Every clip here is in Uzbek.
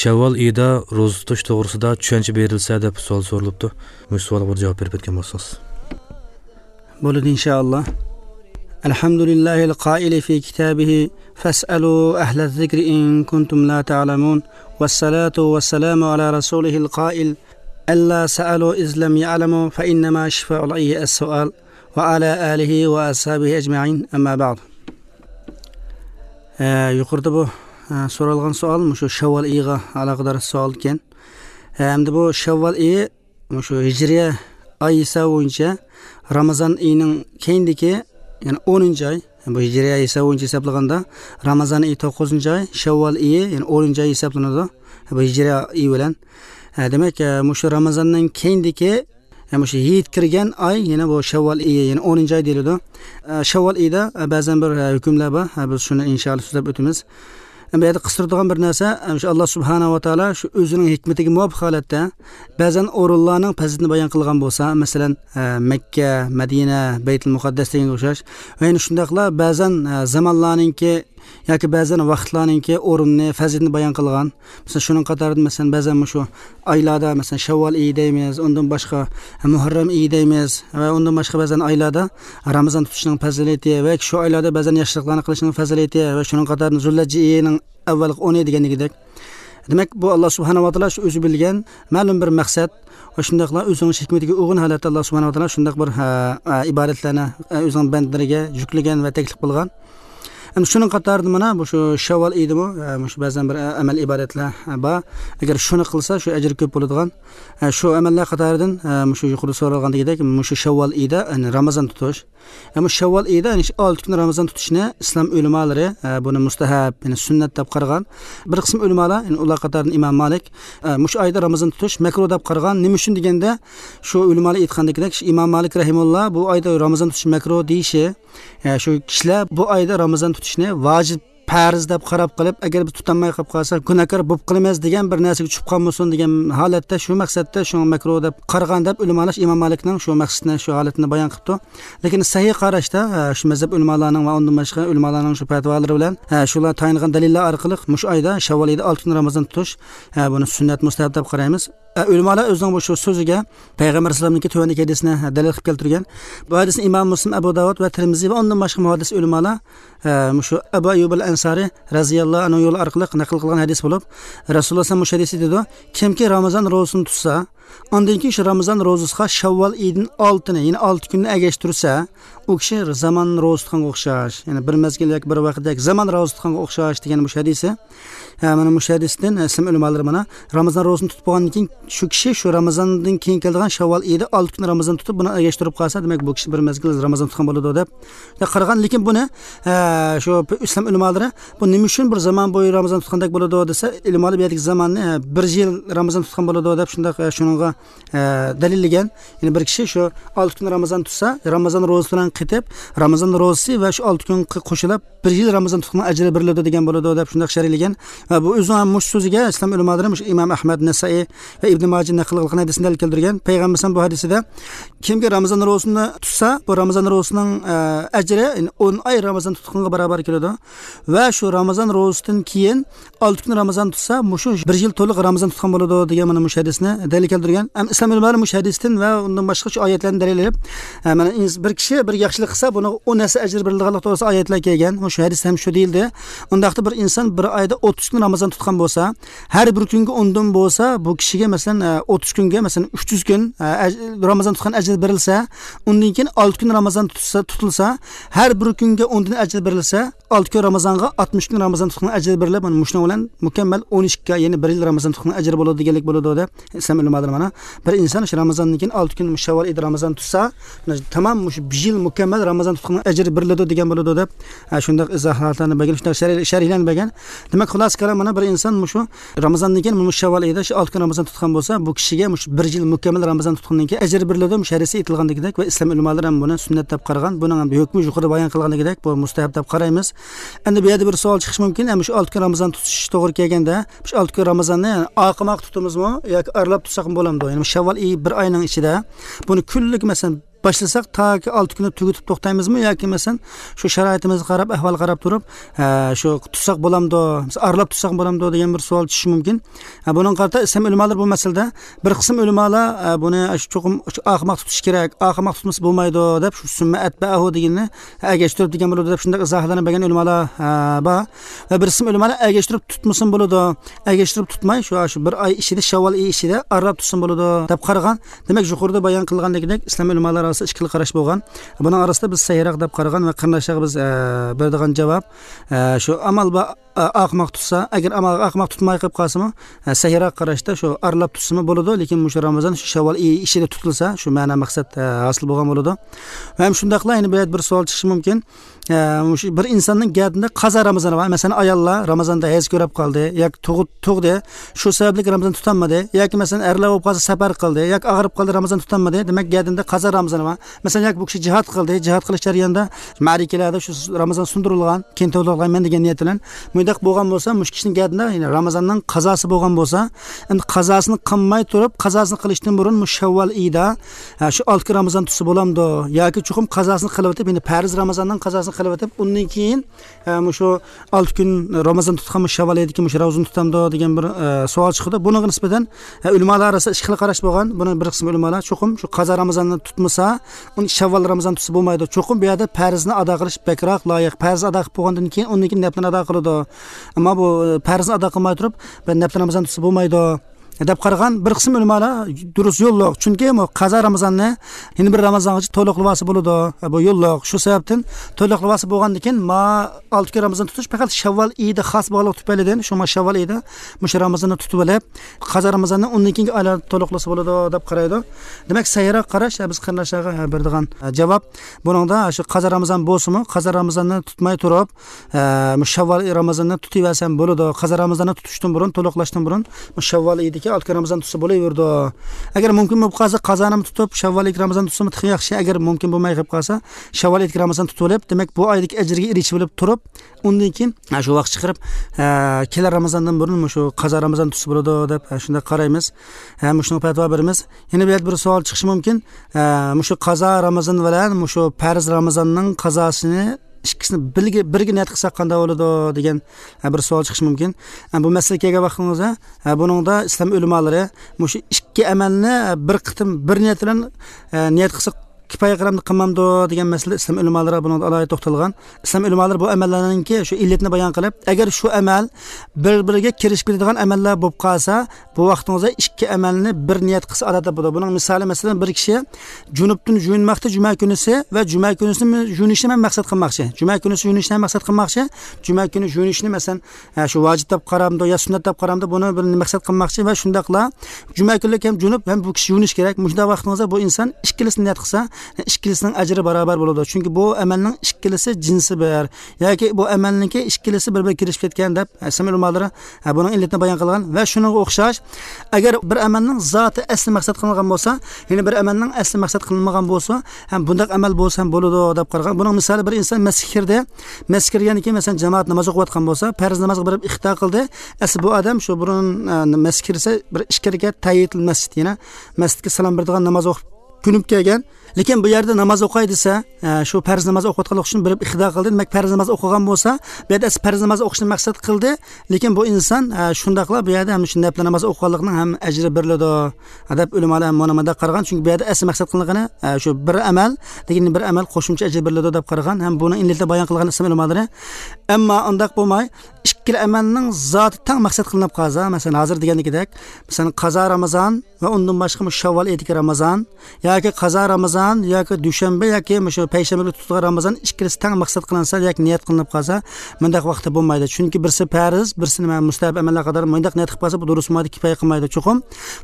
Shavvol oyida ro'za tutish to'g'risida tushuncha berilsa deb savol so'ralibdi. Bu savolga bir javob berib ketgan bo'lsangiz. Bo'ladi inshaalloh. Alhamdulillahil qoili fi kitabihi fas'alu ahla zikri in kuntum la ta'lamun. Vassalatu vassalamu ala rasulihil qoil alla sa'alu iz lam ya'lamu fa innama shifa'ul ayyi as-su'al va ala alihi va ashabihi ajma'in. Amma ba'd. Yuqorida bu so'ralgan savol shu Shavvol oyiga aloqador savol ekan. Endi bu Shavvol oyi shu hijriya oy hisobi bo'yicha Ramazon oyining keyindagi, ya'ni 10-oy, bu hijriya hisobi bo'yicha hisoblaganda Ramazon oyi 9-oy, Shavvol oyi ya'ni 10-oy hisoblanadi. Bu hijriya oyi bilan. Demak, shu Ramazondan keyindagi shu yet kirgan oy, yana bu Shavvol oyi, ya'ni 10-oy deyiladi. Shavvol oyida ba'zan bir hukmlar bor. Biz shuni inshaalloh so'zlab o'tamiz. Bu yerda qistiradigan bir narsa, shu Alloh subhanahu va taolo shu o'zining hikmatiga muvofiq holatda ba'zan o'rinlarning fazilatini bayon qilgan bo'lsa, masalan, Makka, Madina, Baytul Muqaddas deganga o'xshash va yana shundaqla ba'zan zamonlarninki yoki ba'zan vaqtlarninki o'rinni, fazilatini bayon qilgan. Masalan, shuning qatorida masalan ba'zan shu oylarda, masalan, Shavvol oyi deymiz, undan boshqa Muharram oyi deymiz va undan boshqa ba'zan oylarda Ramazon tutishning fazilati va shu oylarda ba'zan yaxshiliklarni qilishning fazilati va shuning qatorida Zulhijja oyining avvalgi 10 deganligidek. Demak, bu Alloh subhanahu va taolo shu o'zi bilgan ma'lum bir maqsad va shundaqla o'zining hikmatiga uyg'un holatda Alloh subhanahu va taolo shundaq bir ibodatlarni o'zining bandalariga yuklagan va taklif qilgan. Endi shuning qatorida mana bu shu Shavvol oyidimi, shu ba'zan bir amal ibodatlar bor. Agar shuni qilsa, shu ajr ko'p bo'ladigan. Shu amallar qatoridan shu yuqorida so'ralgandagidek, shu Shavvol oyida Ramazon tutish. Ammo Shavvol oyida 6 kun Ramazon tutishni islom ulamolari buni mustahab, ya'ni sunnat deb qaragan. Bir qism ulamolar, ya'ni ular qatoridan Imom Malik, shu oyda Ramazon tutish makruh deb qaragan. Nima uchun deganda, shu ulamolar aytgandagidek, Imom Malik rahimulloh bu oyda Ramazon tutish makruh deyishi, shu kishilar bu oyda Ramazon tutishni vojib farz deb qarab qilib, agar biz tutolmay qolib qolsa gunohkor bo'lib qolamiz degan bir narsaga tushib qolmasin degan holatda, shu maqsadda shu makruh deb qaragan deb ulamolar Imom Malikning shu maqsadini, shu holatini bayon qilibdi. Lekin sahih qarashda shu mazhab ulamolarining va undan boshqa ulamolarning shu fatvolari bilan shular tayinlangan dalillar orqali shu oyda Shavvol oyida 6 kun Ramazon tutish buni sunnat mustahab deb qaraymiz. Ulamolar o'zining bu shu so'ziga Payg'ambar alayhisalomniki tuvandagi hadisini dalil qilib keltirgan. Bu hadisni Imom Muslim, Abu Davud va Termiziy va undan boshqa muhaddis ulamolar shu Abu Ayyub al-Ansari radhiyallohu anhu yo'li orqali naql qilgan hadis bo'lib, Rasululloh sollallohu alayhi vasallam dedi: kimki Ramazon ro'zasini tutsa, undan keyin shu Ramazon ro'zasiga Shavvol oyining 6-ni, ya'ni 6 kunni agashtirsa, u kishi zamon ro'za tutganga o'xshash, ya'ni bir mezgil yoki bir vaqtda zamon ro'za tutganga o'xshash degan bu hadisi. Mana bu hadisdan islom ulamolari mana Ramazon ro'zasini tutib bo'lgandan keyin shu kishi shu Ramazondan keyin keladigan Shavvol oyida 6 kun Ramazon tutib buni agashtirib qolsa, demak bu kishi bir mezgil Ramazon tutgan bo'ladi deb qaragan. Lekin buni shu islom ulamolari bu nima uchun bir zamon bo'yi Ramazon tutgandek bo'ladi desa, ulamolar bu yerdagi zamonni bir yil Ramazon tutgan bo'ladi deb shundoq shunga dalillagan. Ya'ni bir kishi shu 6 kun Ramazon tutsa, Ramazon ro'zasi bilan qetib, Ramazon ro'zasi va shu 6 kun qo'shilib bir yil Ramazon tutgan ajri beriladi degan bo'ladi deb shundoq sharhlagan. Va bu o'zining ham mush so'ziga islom ulamolari mush Imom Ahmad, Nasai va Ibn Majah naql qilgan hadisini dalil keltirgan. Payg'ambar bu hadisida kimki Ramazon ro'zasini tutsa, bu Ramazon ro'zasining ajri 10 oy Ramazon tutganga barobar keladi va shu Ramazon ro'zasidan keyin 6 kun Ramazon tutsa, mushu bir yil to'liq Ramazon tutgan bo'ladi degan mana mush hadisni dalil keltirgan. Ham islom ulamolari mush hadisdan va undan boshqa shu oyatlarni dalillab, mana bir kishi bir yaxshilik qilsa, buni 10 narsa ajr beriladiganlik to'g'risida oyatlar kelgan. Shu hadis ham shu deyildi. Undaqda bir inson bir oyda 30 kun Ramazon tutgan bo'lsa, har bir kunga 10 dan bo'lsa, bu kishiga masalan 30 kunga masalan 300 kun Ramazon tutgan ajr berilsa, undan keyin 6 kun Ramazon tutsa, tutilsa, har bir kunga 10 dan ajr berilsa, 6 kun Ramazonga 60 kun Ramazon tutgan ajr berilib, mana mushuna bilan mukammal 12 ga, ya'ni 1 yil Ramazon tutgan ajr bo'ladi deganlik bo'ladi deb islom ulamolari mana bir inson shu Ramazondan keyin 6 kun Shavvol oyida Ramazon tutsa, tamam shu 1 yil mukammal Ramazon tutgan ajr beriladi degan bo'ladi deb shundoq izohlarni bergan, shundoq sharhlarni bergan. Demak, xulosa kalom mana bir inson shu Ramazondan keyin Shavvol oyida shu 6 kun Ramazon tutgan bo'lsa, bu kishiga shu 1 yil mukammal Ramazon tutgandan keyin ajr beriladi. Sharisi aytilgandagidek va islom ulamolari ham buni sunnat deb qaragan. Buning ham hukmi yuqorida bayon qilgandagidek bu mustahab deb qaraymiz. Endi bu yerda bir savol chiqishi mumkin. Shu 6 kun Ramazon tutish to'g'ri kelganda, shu 6 kun Ramazonni oqimoq tutimizmi yoki aralab tutsak ham bo'lamdi? Ya'ni Shavvol oyi bir oyning ichida buni kunlik masalan boshlasak toki 6 kunda tugatib to'xtaymizmi yoki masalan shu sharoitimizga qarab, ahvolga qarab turib shu tutsak bo'lamdi, aralab tutsak bo'lamdi degan bir savol tushishi mumkin. Buning qarta islom ulamolar bu masalada bir qism ulamolar buni cho'qim oqmoq tutish kerak, oqmoq tutmasa bo'lmaydi deb shu summa atba'ahu deganni agashtirib degan bo'ladi deb shunday izohlarni bergan ulamolar bor. Va bir qism ulamolar agashtirib tutmasin bo'ladi, agashtirib tutmay shu bir oy ichida, shavvol oyi ichida aralab tutsin bo'ladi deb qaragan. Demak, yuqorida bayon qilgandek islom ulamolar orasida ikki xil qarash bo'lgan. Buning orasida biz sahiyroq deb qaragan va qarindoshlarga biz beradigan javob shu amal va oqmoq tutsa, agar amal oqmoq tutmay qolib qolsami, sahiyroq qarashda shu aralab tutsami bo'ladi, lekin shu Ramazon shu shavvol ichida tutilsa, shu ma'no maqsad hosil bo'lgan bo'ladi. Va ham shundaqla yana bir savol chiqishi mumkin. Bir insonning gardida qazo Ramazoni bor. Masalan, ayollar Ramazonda hayz ko'rib qoldi yoki tug'di, shu sababli Ramazon tutolmadi, yoki masalan erlar bo'lib qolsa safar qildi yoki og'rib qoldi, Ramazon tutolmadi. Demak, gardida qazo Ramazoni bor. Masalan, yoki bu kishi jihad qildi, jihad qilish jarayonida ma'rikalarda shu Ramazon sundirilgan, keyin to'ldirilgan degan niyat bilan mundaq bo'lgan bo'lsa, mush kishining gardida ya'ni Ramazonning qazosi bo'lgan bo'lsa, endi qazosini qilmay turib, qazosini qilishdan burun mush shavvol oyida shu 6 Ramazon tutsa bo'lamdi yoki chuqum qazosini qilib o'tib, ya'ni farz Ramazonning qazosini qilib o'tib, undan keyin shu 6 kun Ramazon tutgan shavvol oyidagi mush Ramazon tutamdi degan bir savol chiqdi. Bunga nisbatan ulamolar orasida ikki xil qarash bo'lgan. Buni bir qism ulamolar chuqum shu qazo Ramazonni tutmasa, uni shavvol Ramazon tutsa bo'lmaydi. Chuqum bu yerda farzni ado qilish bakroq loyiq. Farz ado qilib bo'lgandan keyin undan keyin naflni ado qiladi. Ammo bu farzni ado qilmay turib, nafl Ramazon tutsa bo'lmaydi deb qaragan bir qism ulamolar durust yo'lliq. Chunki bu qazo Ramazonni yana bir Ramazongacha to'liqlavasi bo'ladi. Bu yo'lliq. Shu sababdan to'liqlavasi bo'lgandan keyin ma 6 kun Ramazon tutish faqat shavvol oyida xos bo'lganligi tufaylidan shu ma shavvol oyida mushu Ramazonni tutib olib, qazo Ramazonni undan keyingi oylarda to'liqlasa bo'ladi deb qaraydi. Demak, sahiyroq qarash biz qarindoshlarga beradigan javob. Buningda shu qazo Ramazon bo'lsinmi, qazo Ramazonni tutmay turib, shavvol Ramazonni tutaversam bo'ladi. Qazo Ramazonni tutishdan burun, to'liqlashdan burun shavvol oyidagi 6 kun Ramazon tutsa bo'laverdi. Agar mumkin bo'lib qolsa, qazoni tutib, shavvol oyidagi Ramazon tutsa yaxshi. Agar mumkin bo'lmay qolib qolsa, shavvol oyidagi Ramazon tutib olib, demak bu oydagi ajrga erishib olib turib, undan keyin shu vaqt chiqarib, kelar Ramazondan burun shu qazo Ramazon tutsa bo'ladi deb shunday qaraymiz. Ham shuni fatvo beramiz. Yana bir savol chiqishi mumkin. Shu qazo Ramazon bilan shu farz Ramazonning qazosini ikkisini birga niyat qilsak qanday bo'ladi degan bir savol chiqishi mumkin. Bu masalaga kelgan vaqtimizda buningda islom ulamolari shu ikki amalni bir qitim bir niyat bilan niyat qilsak kifoya qilamdi qilmamdi degan masala islom ulamolari buni alohida to'xtalgan. Islom ulamolari bu amallarninki shu illatni bayon qilib, agar shu amal bir-biriga kirishib ketadigan amallar bo'lib qolsa, bu vaqtingizda ikki amalni bir niyat qilsa odatda bo'ladi. Buning misoli, masalan, bir kishi junubdan yuvinmoqda juma kunisi va juma kunisini yuvinishni ham maqsad qilmoqchi. Juma kunisi yuvinishni ham maqsad qilmoqchi. Juma kuni yuvinishni masalan shu vojib deb qaramdi yo sunnat deb qaramdi, buni bir maqsad qilmoqchi va shundaqla juma kunlik ham junub ham bu kishi yuvinish kerak. Shunda vaqtingizda bu inson ikkilisini niyat qilsa, ikkilisining ajri barobar bo'ladi. Chunki bu amalning ikkilisi jinsi bir yoki bu amalningki ikkilisi bir-biriga kirishib ketgan deb islom ulamolari buning illatini bayon qilgan. Va shunga o'xshash agar bir amalning zoti asli maqsad qilingan bo'lsa, yana bir amalning asli maqsad qilinmagan bo'lsa, ham bundaq amal bo'lsa ham bo'ladi deb qaragan. Buning misoli, bir inson masjidga kirdi, masjidga kirgandan keyin masalan jamoat namoz o'qiyotgan bo'lsa, farz namozga borib ixto qildi. Asli bu odam shu burun masjidga kirsa bir ikki rakat tahiyatul masjid, yana masjidga salom beradigan namoz o'qib kunib kelgan. Lekin bu yerda namoz o'qay desa, shu farz namoz o'qiyotganlik uchun bilib ixtido qildi. Demak, farz namoz o'qigan bo'lsa, bu yerda farz namoz o'qishni maqsad qildi. Lekin bu inson shundaqla bu yerda ham shu nafl namoz o'qiganlikning ham ajri beriladi deb ulamolar ham mana qaragan. Chunki bu yerda asl maqsad qilingani shu bir amal, lekin bir amal qo'shimcha ajr beriladi deb qaragan. Ham buni illatda bayon qilgan islom ulamolari. Ammo undaq bo'lmay, ikki amalning zoti tang maqsad qilinib qolsa, masalan hozir degandek, masalan qazo Ramazon va undan boshqa shavvol oyidagi Ramazon yoki qazo Ramazon yoki dushanba yoki shu payshanba tutilgan Ramazon ikkilisi tang maqsad qilinsa yoki niyat qilinib qolsa, bundaq vaqtda bo'lmaydi. Chunki birisi farz, birisi nima mustahab amallar qadar bundaq niyat qilib qolsa, bu durust bo'lmaydi, kifoya qilmaydi. Chuqum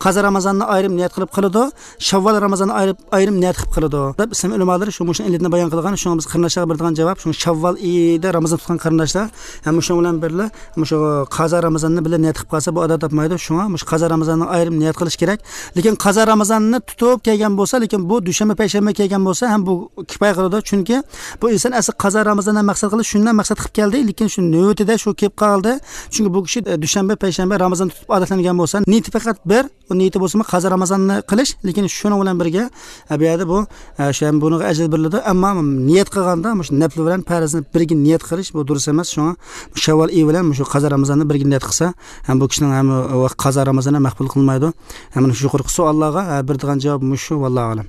qazo Ramazonni ayrim niyat qilib qiladi, shavvol Ramazonni ayrim niyat qilib qiladi deb islom ulamolari shu mushuni illatni bayon qilgan. Shunga biz qarindoshlarga beradigan javob, shu shavvol oyida Ramazon tutgan qarindoshlar ham shu bilan birga shu qazo Ramazonni birga niyat qilib qolsa, bu odat topmaydi. Shunga mush qazo Ramazonni ayrim niyat qilish kerak. Lekin qazo Ramazonni tutib kelgan bo'lsa, lekin bu dushanba payshanba kelgan bo'lsa ham bu kifoya qiladi. Chunki bu inson asli qazo Ramazondan maqsad qilib, shundan maqsad qilib keldi, lekin shu navbatida shu kelib qoldi. Chunki bu kishi dushanba, payshanba Ramazon tutib odatlangan bo'lsa, niyati faqat bir, u niyati bo'lsa qazo Ramazonni qilish, lekin shuning bilan birga bu yerda bu shu ham buni ajr beriladi. Ammo niyat qilganda shu nafl bilan farzni birga niyat qilish bu durust emas. Shunga Shavvol oyi bilan shu qazo Ramazonni birga niyat qilsa, ham bu kishining ham qazo Ramazonni maqbul qilinmaydi. Ham shu yuqorqi savollarga berdigan javob shu, vallohu alam.